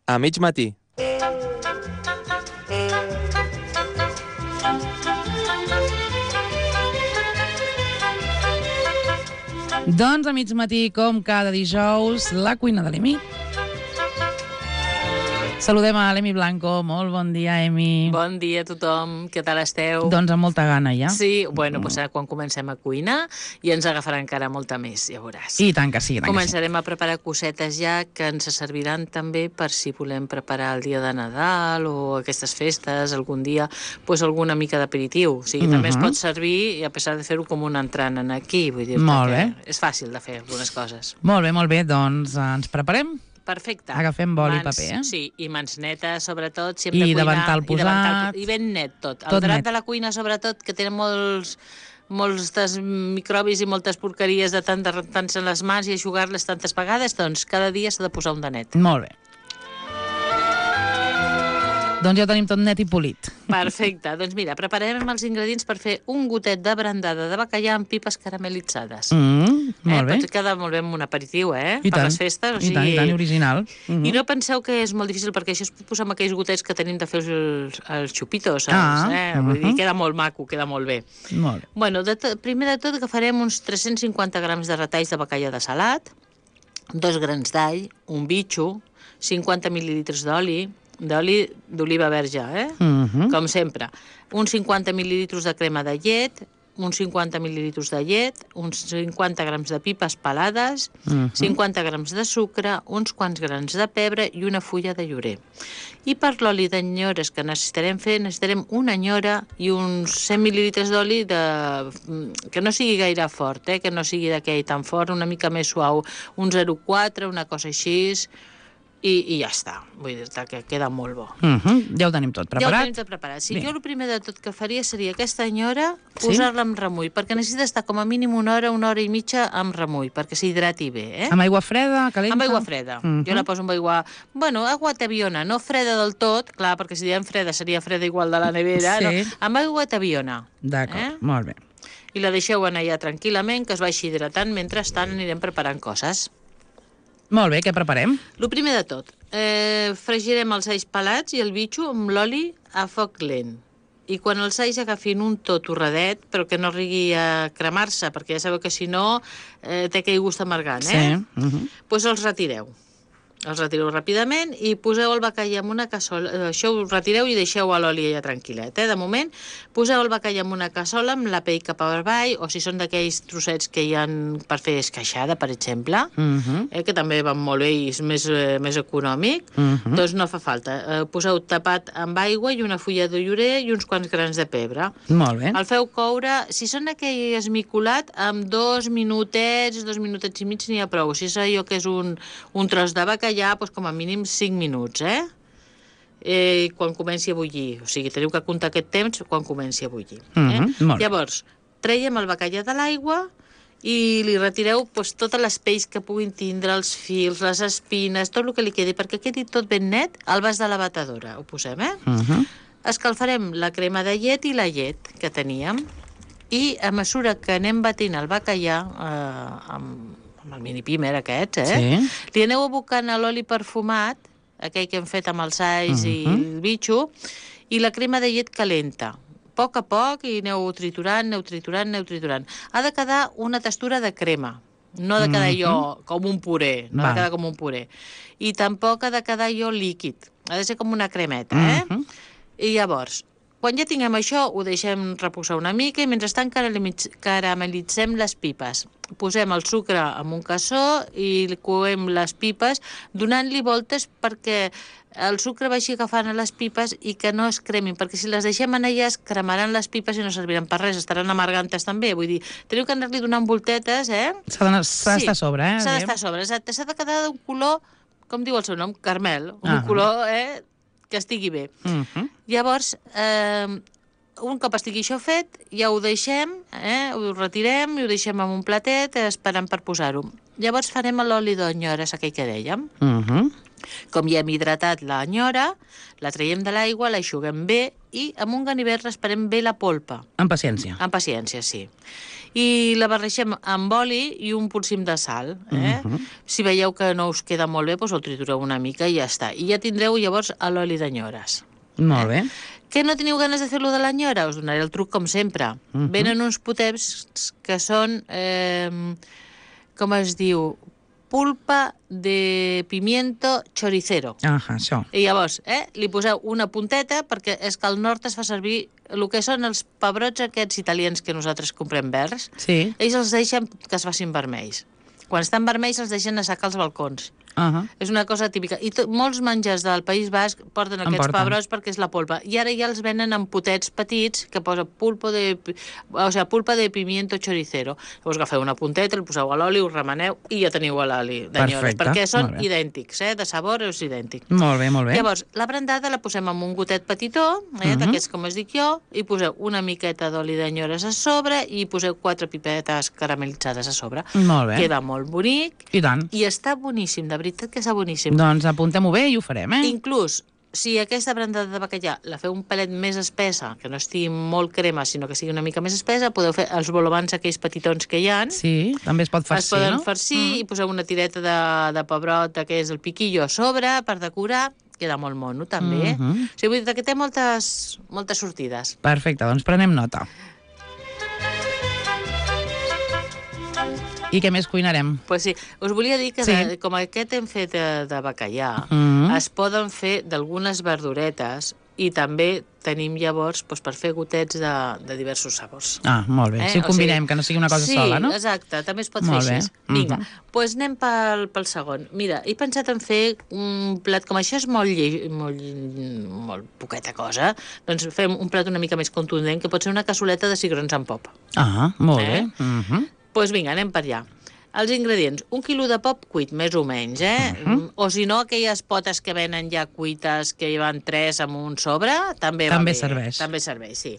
A mig matí. Doncs a mig matí, com cada dijous, la cuina de l'Emi. Saludem a l'Emi Blanco. Molt bon dia, Emi. Bon dia a tothom. Què tal esteu? Doncs amb molta gana, ja. Sí, bueno, doncs quan comencem a cuinar i ens agafarà encara molta més, ja veuràs. I tant que sí, Començarem a preparar cosetes ja que ens serviran també per si volem preparar el dia de Nadal o aquestes festes, algun dia, doncs alguna mica d'aperitiu. O sigui, també es pot servir, i a pesar de fer-ho com un entrant en aquí, vull dir que és fàcil de fer algunes coses. Molt bé, doncs ens preparem? Perfecte. Agafem boli i paper, eh? Sí, i mans netes, sobretot, si hem de I cuinar. davantal posat. I ben net tot. El drap de la cuina, sobretot, que tenen molts microbis i moltes porqueries de tant de rentar-se les mans i eixugar-les tantes vegades, doncs cada dia s'ha de posar un de net. Molt bé. Doncs ja ho tenim tot net i polit. Perfecte. Doncs mira, prepararem els ingredients per fer un gotet de brandada de bacallà amb pipes caramelitzades. Molt bé. Pot quedar molt bé amb un aperitiu, I per les festes. I tant, original. I no penseu que és molt difícil, perquè això es pot posar amb aquells gotets que tenim de fer els xupitos, saps? Vull dir, queda molt maco, queda molt bé. Molt bé. Bueno, primer de tot agafarem uns 350 grams de retalls de bacallà de salat, 2 grans d'all, un bitxo, 50 mil·lilitres d'oli d'oliva verge, com sempre. Uns 50 mil·lilitres de crema de llet, uns 50 mil·lilitres de llet, uns 50 grams de pipes pelades, 50 grams de sucre, uns quants grans de pebre i una fulla de llorer. I per l'oli d'anyores que necessitarem una anyora i uns 100 mil·lilitres d'oli que no sigui gaire fort, que no sigui d'aquell tan fort, una mica més suau, un 0,4, una cosa així, i ja està. Vull dir que queda molt bo. Ja ho tenim tot preparat. Ja ho tenim tot preparat. Sí, jo el primer de tot que faria seria aquesta anyora, posar-la amb remull, perquè necessita estar com a mínim una hora i mitja amb remull, perquè s'hidrati bé. Amb aigua freda, calenta? Amb aigua freda. Jo la poso amb aigua... Bueno, aigua tabiona, no freda del tot, clar, perquè si diem freda seria freda igual de la nevera, no? Amb aigua tabiona. D'acord, molt bé. I la deixeu anar allà tranquil·lament, que es vagi hidratant, mentrestant anirem preparant coses. Molt bé, què preparem? El primer de tot, fregirem els alls pelats i el bitxo amb l'oli a foc lent. I quan els alls agafin un to torradet, però que no arribi a cremar-se, perquè ja sabeu que si no té aquell gust amargant, doncs els retireu. Els retireu ràpidament i poseu el bacallà en una cassola. Això ho retireu i deixeu a l'oli allà tranquil·let. De moment, poseu el bacallà en una cassola amb la pell cap avall, o si són d'aquells trossets que hi ha per fer esqueixada, per exemple, que també van molt bé i és més econòmic, doncs no fa falta. Poseu tapat amb aigua i una fulla de llorer i uns quants grans de pebre. Molt bé. El feu coure, si són aquell esmicolat, amb 2 minutets i mig n'hi ha prou. Si és allò que és un tros de bacallà, doncs com a mínim 5 minuts, quan comenci a bullir. O sigui, teniu que comptar aquest temps quan comenci a bullir. Llavors, traiem el bacallà de l'aigua i li retireu totes les pells que puguin tindre, els fils, les espines, tot el que li quedi, perquè quedi tot ben net al vas de la batedora. Ho posem, Escalfarem la crema de llet i la llet que teníem i a mesura que anem batint el bacallà amb el mini-pimer aquest, li aneu abocant a l'oli perfumat, aquell que hem fet amb els alls i el bitxo, i la crema de llet calenta. A poc, i aneu triturant. Ha de quedar una textura de crema, no ha de quedar allò com un puré, I tampoc ha de quedar allò líquid, ha de ser com una cremeta, I llavors, quan ja tinguem això, ho deixem reposar una mica i mentrestant caramelitzem les pipes. Posem el sucre en un cassó i coem les pipes donant-li voltes perquè el sucre vagi agafant a les pipes i que no es cremin, perquè si les deixem en elles cremaran les pipes i no serviran per res, estaran amargantes també. Vull dir, teniu que anar-li donant voltetes, S'ha d'estar a sobre, S'ha d'estar a sobre, exacte. S'ha de quedar d'un color, com diu el seu nom, carmel, un color, que estigui bé. Llavors, un cop estigui això fet, ja ho deixem, ho retirem i ho deixem en un platet esperant per posar-ho. Llavors farem l'oli d'onyores, aquell que dèiem. Com ja hem hidratat l'enyora, la traiem de l'aigua, l'aixuguem bé i amb un ganivet rasparem bé la polpa. Amb paciència. Amb paciència, sí. I la barregem amb oli i un polsim de sal. Si veieu que no us queda molt bé, doncs el tritureu una mica i ja està. I ja tindreu llavors l'oli d'enyores. Molt bé. Que no teniu ganes de fer-lo de l'enyora? Us donaré el truc com sempre. Venen uns potets que són, com es diu, pulpa de pimiento choricero. Això. I llavors, li poseu una punteta, perquè és que al nord es fa servir el que són els pebrots aquests italians que nosaltres comprem verds. Sí. Ells els deixen que es facin vermells. Quan estan vermells els deixen assecar als balcons. És una cosa típica. I molts menjars del País Basc porten aquests pebrots perquè és la polpa. I ara ja els venen en potets petits que posa pulpa de pimiento choricero. Llavors agafeu una punteta, el poseu a l'oli, ho remeneu i ja teniu l'oli d'enyores. Perquè són idèntics, de sabor és idèntic. Molt bé, molt bé. Llavors, la brandada la posem amb un gotet petitó, d'aquests com es dic jo, i poseu una miqueta d'oli d'enyores a sobre i poseu 4 pipetes caramelitzades a sobre. Molt bé. Queda molt bonic. I tant. I està boníssim, de veritat que està boníssim. Doncs apuntem-ho bé i ho farem, Inclús, si aquesta brandada de bacallà la feu un pelet més espessa, que no estigui molt crema, sinó que sigui una mica més espessa, podeu fer els bolobans aquells petitons que hi ha. Sí, també es pot farcir, no? Es poden farcir i poseu una tireta de pebrot, que és el piquillo, a sobre per decorar. Queda molt mono, també. O sigui, vull dir que té moltes sortides. Perfecte, doncs prenem nota. I què més cuinarem? Pues sí, us volia dir que com aquest hem fet de bacallà, es poden fer d'algunes verduretes i també tenim llavors per fer gotets de diversos sabors. Molt bé. Si ho combinem, que no sigui una cosa sola, no? Sí, exacte, també es pot fer així. Vinga, doncs anem pel segon. Mira, he pensat en fer un plat com això, és molt poqueta cosa, doncs fem un plat una mica més contundent, que pot ser una cassoleta de cigrons amb pop. Molt bé. Doncs vinga, anem per allà. Els ingredients, 1 quilo de pop cuit, més o menys, O si no, aquelles potes que venen ja cuites, que hi van 3 amb un sobre, també va bé. Serveix. També serveix, sí.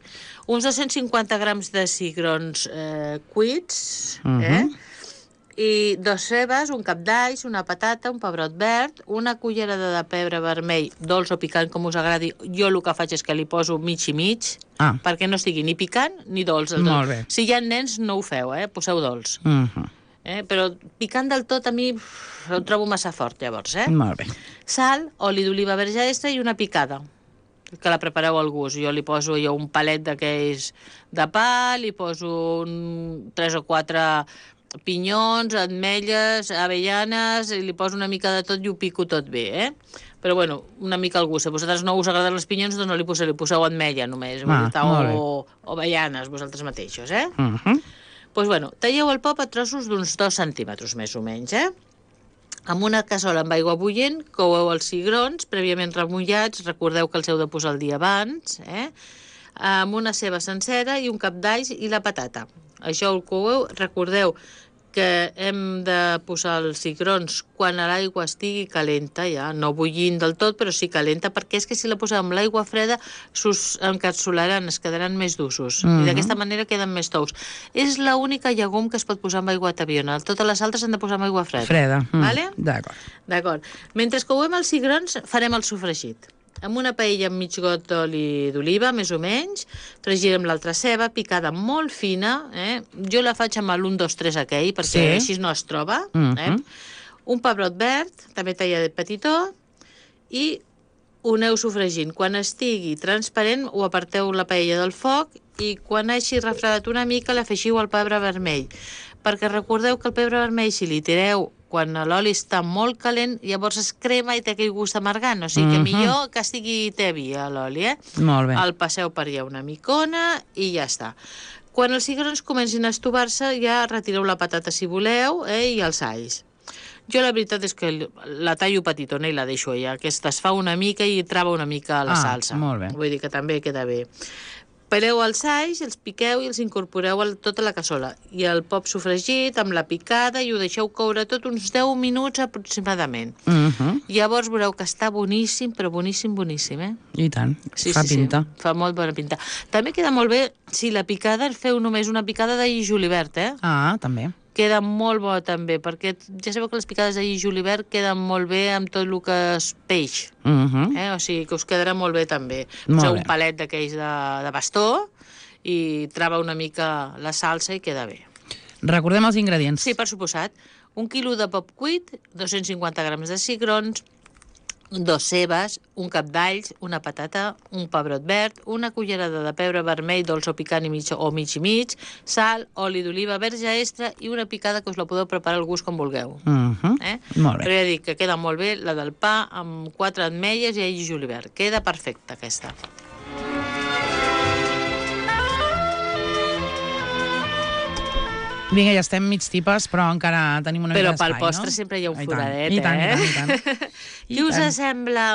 Uns 250 grams de cigrons cuits, i 2 cebes, un cap d'alls, una patata, un pebrot verd, una cullerada de pebre vermell, dolç o picant, com us agradi. Jo el que faig és que li poso mig i mig, perquè no estigui ni picant ni dolç. Molt bé. Si hi ha nens, no ho feu, poseu dolç. Però picant del tot a mi ho trobo massa fort, llavors. Molt bé. Sal, oli d'oliva verge extra i una picada, que la prepareu al gust. Jo li poso un palet d'aquells de pa, li poso 3 o 4 pinyons, ametlles, avellanes, li poso una mica de tot i ho pico tot bé, Però, bueno, una mica al gust. Si a vosaltres no us agraden els pinyons, doncs no li poseu ametlla només, o avellanes, vosaltres mateixos, Doncs, bueno, talleu el pop a trossos d'uns 2 centímetres, més o menys, Amb una cassola amb aigua bullent, coueu els cigrons, prèviament remullats, recordeu que els heu de posar el dia abans, amb una ceba sencera i un cap d'alls i la patata. Això ho coueu, recordeu que hem de posar els cigrons quan l'aigua estigui calenta, ja, no bullint del tot, però sí calenta, perquè és que si la posem amb l'aigua freda s'encapsularan, es quedaran més dussos, i d'aquesta manera queden més tous. És l'única llegum que es pot posar amb aigua tabiona, totes les altres han de posar amb aigua freda. Freda. Vale? D'acord. Mentre couem els cigrons, farem el sofregit. Amb una paella amb mig got d'oli d'oliva, més o menys, fregirem l'altra ceba, picada molt fina, Jo la faig amb l'1, 2, 3 aquell, perquè així no es troba, Un pebrot verd, també tallat petitó, i ho aneu sofregint. Quan estigui transparent, ho aparteu la paella del foc i quan hagi refredat una mica, l'afegiu al pebre vermell. Perquè recordeu que el pebre vermell, si li tireu quan l'oli està molt calent, llavors es crema i té aquell gust amargant. O sigui que millor que estigui tebi l'oli, Molt bé. El passeu per allà una micona i ja està. Quan els cigrons comencin a estovar-se, ja retireu la patata si voleu, i els alls. Jo la veritat és que la tallo petitona i la deixo allà. Aquesta es fa una mica i trava una mica la salsa. Molt bé. Vull dir que també queda bé. Peleu els alls, els piqueu i els incorporeu a tota la cassola. I el pop sofregit amb la picada i ho deixeu coure tot uns 10 minuts aproximadament. Llavors veureu que està boníssim, però boníssim, I tant, fa pinta. Sí, fa molt bona pinta. També queda molt bé si la picada feu només una picada d'ail julivert, també. queda molt bo també, perquè ja sabeu que les picades de guix i julivert queden molt bé amb tot el que és peix. O sigui que us quedarà molt bé també. Poseu un palet d'aquells de bastó i trava una mica la salsa i queda bé. Recordem els ingredients. Sí, per suposat. 1 quilo de pop cuit, 250 grams de cigrons, 2 cebes, un cap d'alls, una patata, un pebrot verd, una cullerada de pebre vermell dolç o picant i mig i mig, sal, oli d'oliva, verge extra i una picada que us la podeu preparar al gust com vulgueu. Molt bé. Però ja dic que queda molt bé la del pa amb 4 ametlles i all i julivert. Queda perfecta aquesta. Vinga, ja estem mig tipes, però encara tenim una mica d'espai, no? Però pel postre sempre hi ha un foradet, I tant. Què us sembla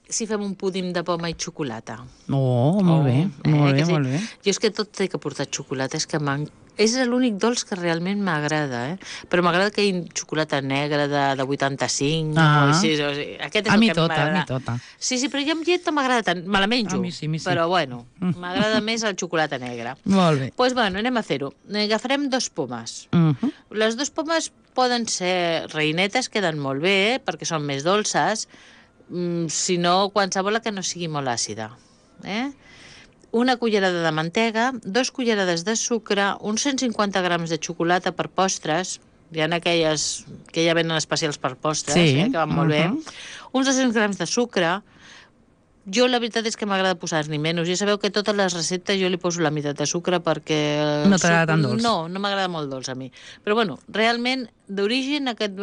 si fem un púdim de poma i xocolata? Molt bé, molt bé. Jo és que tot té que portar xocolata, és l'únic dolç que realment m'agrada, però m'agrada que hi hagi xocolata negra de 85, aquest és el que m'agrada. A mi tota. Sí, però jo amb llet no m'agrada tant, me la menjo, a mi sí. Però bueno, m'agrada més el xocolata negra. Molt bé. Doncs bueno, anem a fer-ho. Agafarem 2 pomes. Les 2 pomes poden ser reinetes, queden molt bé, perquè són més dolces, si no, qualsevol que no sigui molt àcida. Una cullerada de mantega, 2 cullerades de sucre, uns 150 grams de xocolata per postres, hi ha aquelles que ja venen especials per postres, que van molt bé, uns 200 grams de sucre. Jo la veritat és que m'agrada posar-n'hi menys. Ja sabeu que totes les receptes jo li poso la meitat de sucre perquè... No t'agrada tan dolç? No m'agrada molt dolç a mi. Però bueno, realment, d'origen, aquest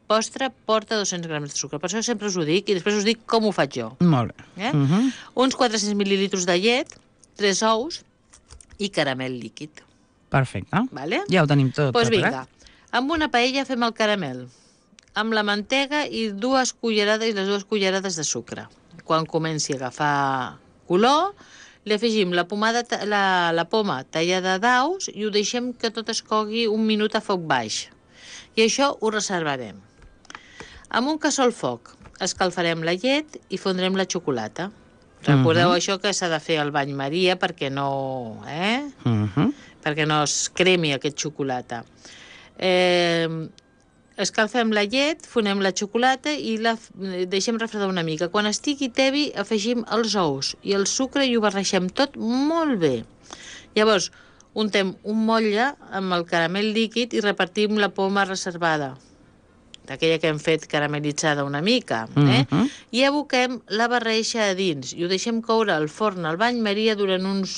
postre porta 200 grams de sucre. Per això sempre us ho dic i després us dic com ho faig jo. Molt bé. Uns 400 mil·lilitres de llet, 3 ous i caramel líquid. Perfecte. Vale? Ja ho tenim tot. Doncs vinga, amb una paella fem el caramel, amb la mantega i les 2 cullerades de sucre. Quan comenci a agafar color, li afegim la poma tallada daus i ho deixem que tot es cogui un minut a foc baix. I això ho reservarem. Amb un cassó al foc escalfarem la llet i fondrem la xocolata. Recordeu això que s'ha de fer al bany Maria perquè no... perquè no es cremi aquest xocolata. Escalfem la llet, fonem la xocolata i la deixem refredar una mica. Quan estigui tebi, afegim els ous i el sucre i ho barreixem tot molt bé. Llavors, untem un motlle amb el caramel líquid i repartim la poma reservada, d'aquella que hem fet caramelitzada una mica, i aboquem la barreixa a dins i ho deixem coure al forn al bany Maria durant uns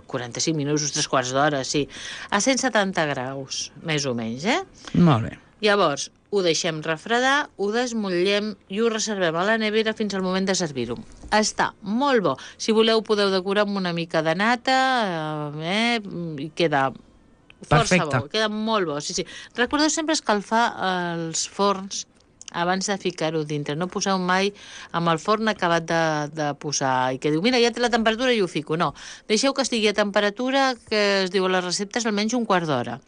45 minuts, uns 3/4 d'hora, sí, a 170 graus, més o menys, Molt bé. Llavors, ho deixem refredar, ho desmotllem i ho reservem a la nevera fins al moment de servir-ho. Està molt bo. Si voleu, podeu decorar amb una mica de nata, i queda força bo. Queda molt bo, sí. Recordeu sempre escalfar els forns abans de ficar-ho dintre. No poseu mai amb el forn acabat de posar i que diu, mira, ja té la temperatura i ho fico. No, deixeu que estigui a temperatura que es diu a les receptes almenys un quart d'hora.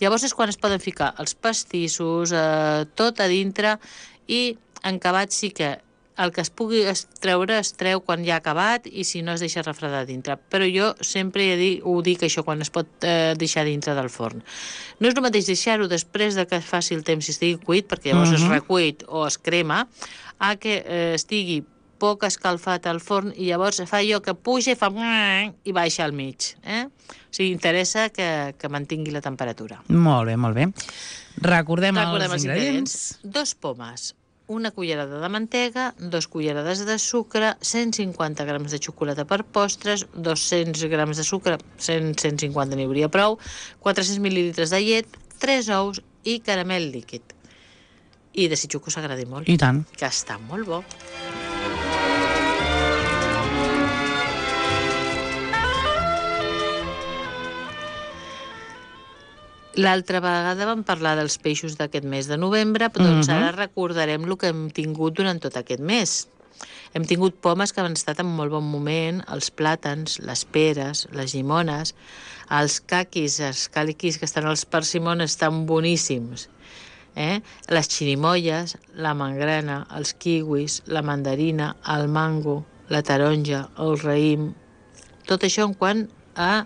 Llavors és quan es poden ficar els pastissos, tot a dintre, i en acabat sí que el que es pugui extreure es treu quan ja ha acabat i si no es deixa refredar dintre. Però jo sempre ho dic això, quan es pot deixar dintre del forn. No és el mateix deixar-ho després de que faci el temps i estigui cuit, perquè llavors es recuit o es crema, a que estigui poc escalfat al forn i llavors fa allò que puja i fa i baixa al mig. O sigui, interessa que mantingui la temperatura. Molt bé, molt bé. Recordem els ingredients. 2 pomes, una cullerada de mantega, 2 cullerades de sucre, 150 grams de xocolata per postres, 200 grams de sucre, 150 n'hi hauria prou, 400 mil·lilitres de llet, 3 ous i caramel líquid. I desitjo que us agradi molt. I tant. Que està molt bo. L'altra vegada vam parlar dels peixos d'aquest mes de novembre, doncs ara recordarem el que hem tingut durant tot aquest mes. Hem tingut pomes que han estat en molt bon moment, els plàtans, les peres, les llimones, els càliquis que estan als persimones estan boníssims, les xirimoies, la mangrana, els kiwis, la mandarina, el mango, la taronja, el raïm, tot això en quant a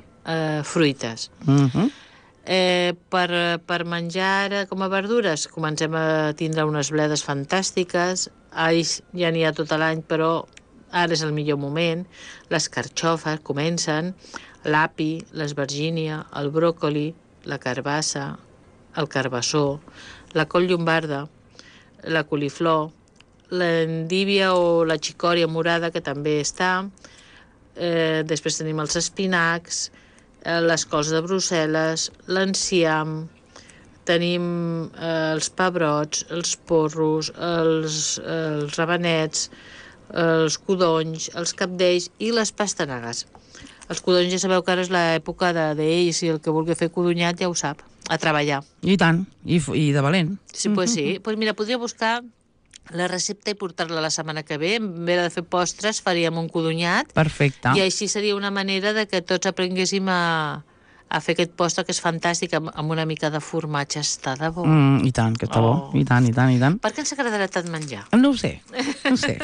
fruites. Per menjar ara com a verdures comencem a tindre unes bledes fantàstiques. Alls ja n'hi ha tot l'any, però ara és el millor moment. Les carxofes comencen, l'api, l'esvergínia, el bròcoli, la carbassa, el carbassó, la col llombarda, la coliflor, l'endívia o la xicòria morada, que també està. Després tenim els espinacs, les cols de Brussel·les, l'enciam, tenim els pebrots, els porros, els rabanets, els codonys, els cabdells i les pastanagues. Els codonys ja sabeu que ara és l'època d'ells, i el que vulgui fer codonyat ja ho sap, a treballar. I tant, i de valent. Sí, pues sí. Pues mira, podria buscar la recepta i portar-la la setmana que ve. En vez de fer postres, faríem un codonyat. Perfecte. I així seria una manera de que tots aprenguéssim a fer aquest postre, que és fantàstic, amb una mica de formatge. Està de bo. I tant, que està bo. I tant, i tant, i tant. Per què ens agradarà tant menjar? No ho sé, no ho sé.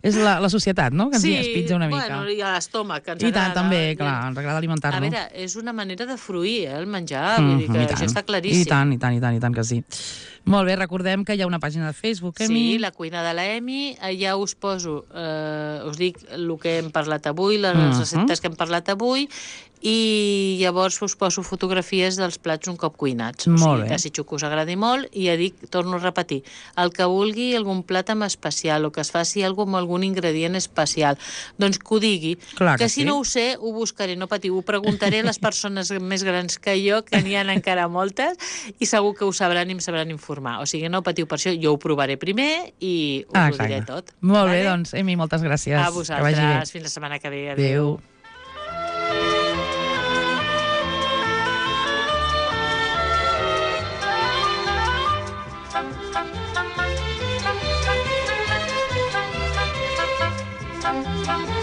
És la societat, no?, que ens espitja una mica. Bueno, i a l'estómac, que ens I agrada. tant, també, clar, ens agrada alimentar-nos. A veure, és una manera de fruir, el menjar, vull dir que això està claríssim. I tant que sí. Molt bé, recordem que hi ha una pàgina de Facebook, Emi. Sí, la cuina de la Emi. Ja us poso, us dic el que hem parlat avui, les receptes que hem parlat avui, i llavors us poso fotografies dels plats un cop cuinats. Molt bé. Desitjo que us agradi molt, i ja dic, torno a repetir, el que vulgui algun plat amb especial o que es faci alguna cosa amb algun ingredient especial, doncs que ho digui. Clar que si sí. no ho sé, ho buscaré, no patiu, ho preguntaré a les persones més grans que jo, que n'hi ha encara moltes, i segur que ho sabran i em sabran informar. O sigui, no patiu per això, jo ho provaré primer i us ho diré tot. Molt bé, doncs, Emi, moltes gràcies. A vosaltres, fins la setmana que ve. Adéu. Thank you.